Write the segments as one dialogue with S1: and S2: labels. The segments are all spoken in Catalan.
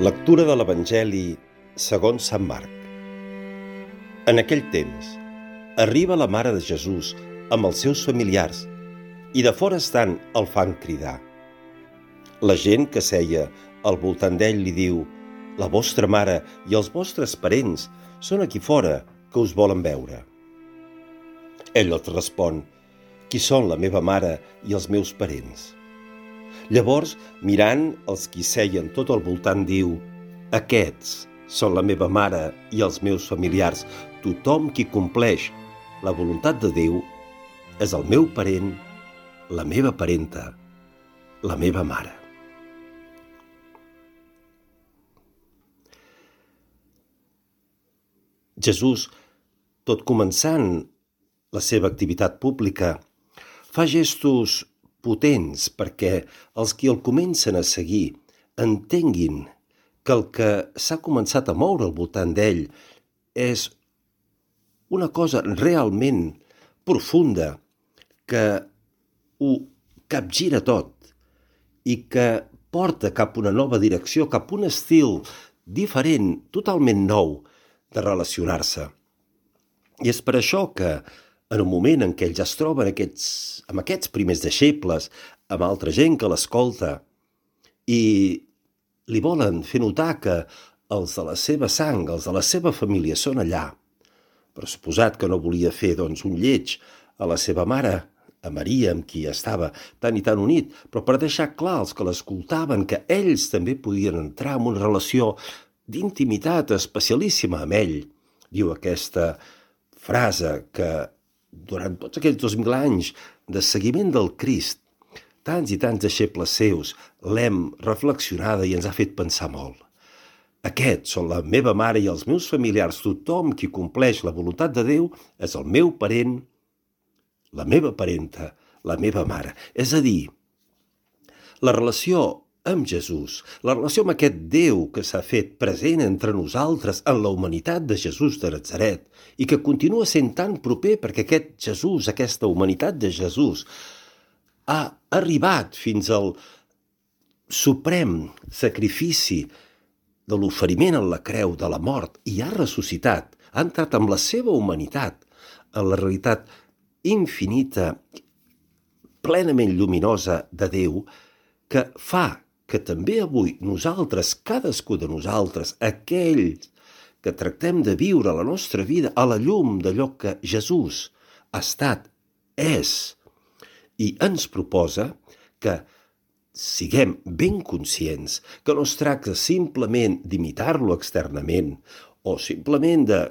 S1: Lectura de l'Evangeli segons Sant Marc. En aquell temps, arriba la mare de Jesús amb els seus familiars i de fora estant el fan cridar. La gent que seia al voltant d'ell li diu: «La vostra mare i els vostres parents són aquí fora, que us volen veure». Ell els respon: «Qui són la meva mare i els meus parents?» Llavors, mirant els qui seien tot al voltant, diu: «Aquests són la meva mare i els meus familiars. Tothom qui compleix la voluntat de Déu és el meu parent, la meva parenta, la meva mare». Jesús, tot començant la seva activitat pública, fa gestos potents perquè els qui el comencen a seguir entenguin que el que s'ha començat a moure al voltant d'ell és una cosa realment profunda que ho capgira tot i que porta cap a una nova direcció, cap a un estil diferent, totalment nou de relacionar-se. I és per això que en un moment en què ells es troben amb aquests primers deixebles, amb altra gent que l'escolta, i li volen fer notar que els de la seva sang, els de la seva família són allà, però suposat que no volia fer un lleig a la seva mare, a Maria, amb qui estava tan i tan unit, però per deixar clar als que l'escoltaven que ells també podien entrar en una relació d'intimitat especialíssima amb ell. Diu aquesta frase que durant tots aquells 2000 anys de seguiment del Crist, tants i tants deixebles seus l'hem reflexionada i ens ha fet pensar molt. Aquests són la meva mare i els meus familiars. Tothom qui compleix la voluntat de Déu és el meu parent, la meva parenta, la meva mare. És a dir, la relació amb Jesús, la relació amb aquest Déu que s'ha fet present entre nosaltres en la humanitat de Jesús de Natzaret i que continua sent tan proper perquè aquest Jesús, aquesta humanitat de Jesús, ha arribat fins al suprem sacrifici de l'oferiment en la creu, de la mort, i ha ressuscitat, ha entrat amb la seva humanitat en la realitat infinita, plenament lluminosa de Déu, que fa que també avui nosaltres, cadascú de nosaltres, aquells que tractem de viure la nostra vida a la llum d'allò que Jesús ha estat, és, i ens proposa que siguem ben conscients que no es tracta simplement d'imitar-lo externament o simplement de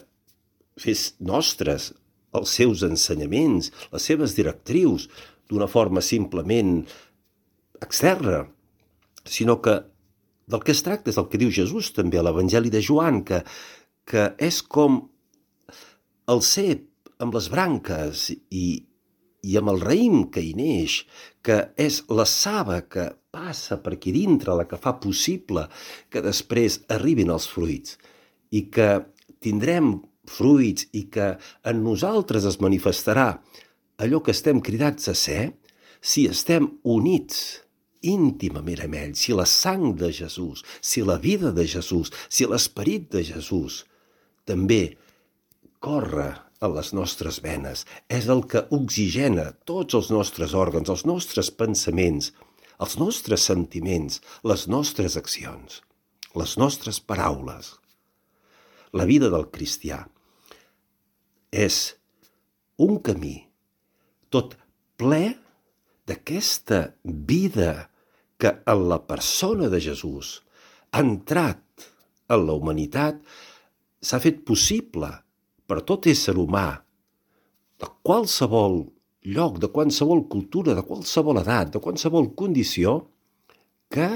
S1: fer nostres els seus ensenyaments, les seves directrius, d'una forma simplement externa, sinó que del que es tracta és el que diu Jesús també a l'Evangeli de Joan, que és com el cep amb les branques i amb el raïm que hi neix, que és la saba que passa per aquí dintre, la que fa possible que després arribin els fruits, i que tindrem fruits i que en nosaltres es manifestarà allò que estem cridats a ser si estem units íntimament amb ell, si la sang de Jesús, si la vida de Jesús, si l'esperit de Jesús també corre a les nostres venes, és el que oxigena tots els nostres òrgans, els nostres pensaments, els nostres sentiments, les nostres accions, les nostres paraules. La vida del cristià és un camí tot ple d'aquesta vida que en la persona de Jesús ha entrat en la humanitat, s'ha fet possible per tot ésser humà, de qualsevol lloc, de qualsevol cultura, de qualsevol edat, de qualsevol condició, que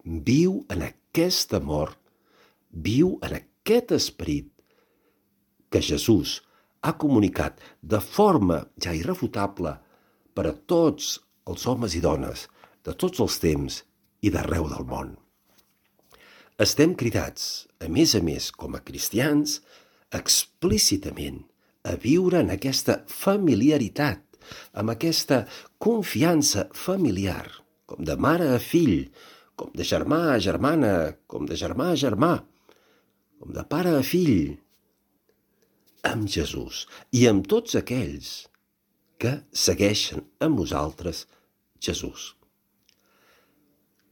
S1: viu en aquest amor, viu en aquest esperit que Jesús ha comunicat de forma ja irrefutable per a tots els homes i dones de tots els temps i d'arreu del món. Estem cridats, a més, com a cristians, explícitament a viure en aquesta familiaritat, amb aquesta confiança familiar, com de mare a fill, com de germà a germana, com de germà a germà, com de pare a fill, amb Jesús i amb tots aquells que segueixen amb nosaltres Jesús.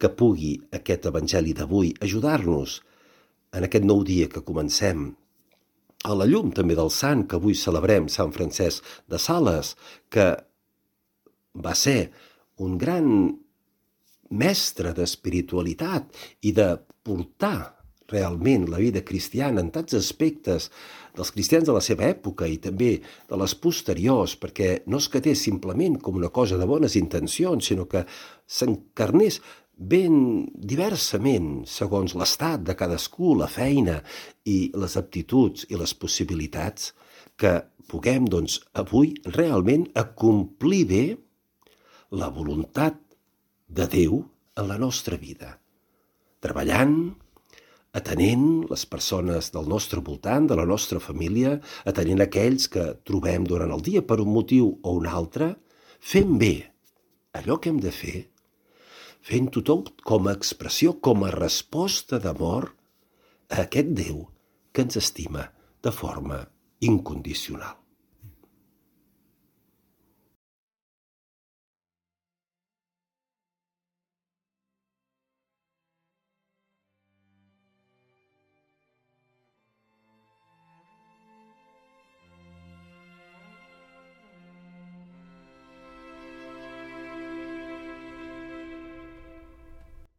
S1: Que pugui aquest Evangeli d'avui ajudar-nos en aquest nou dia que comencem, a la llum també del sant que avui celebrem, Sant Francesc de Sales, que va ser un gran mestre d'espiritualitat i de portar realment la vida cristiana en tants aspectes dels cristians de la seva època i també de les posteriors, perquè no es quedés simplement com una cosa de bones intencions, sinó que s'encarnés ben diversament, segons l'estat de cadascú, la feina i les aptituds i les possibilitats, que puguem, doncs, avui realment acomplir bé la voluntat de Déu en la nostra vida, treballant, atenent les persones del nostre voltant, de la nostra família, atenent aquells que trobem durant el dia per un motiu o un altre, fent bé allò que hem de fer, fent-ho tot com a expressió, com a resposta d'amor a aquest Déu que ens estima de forma incondicional.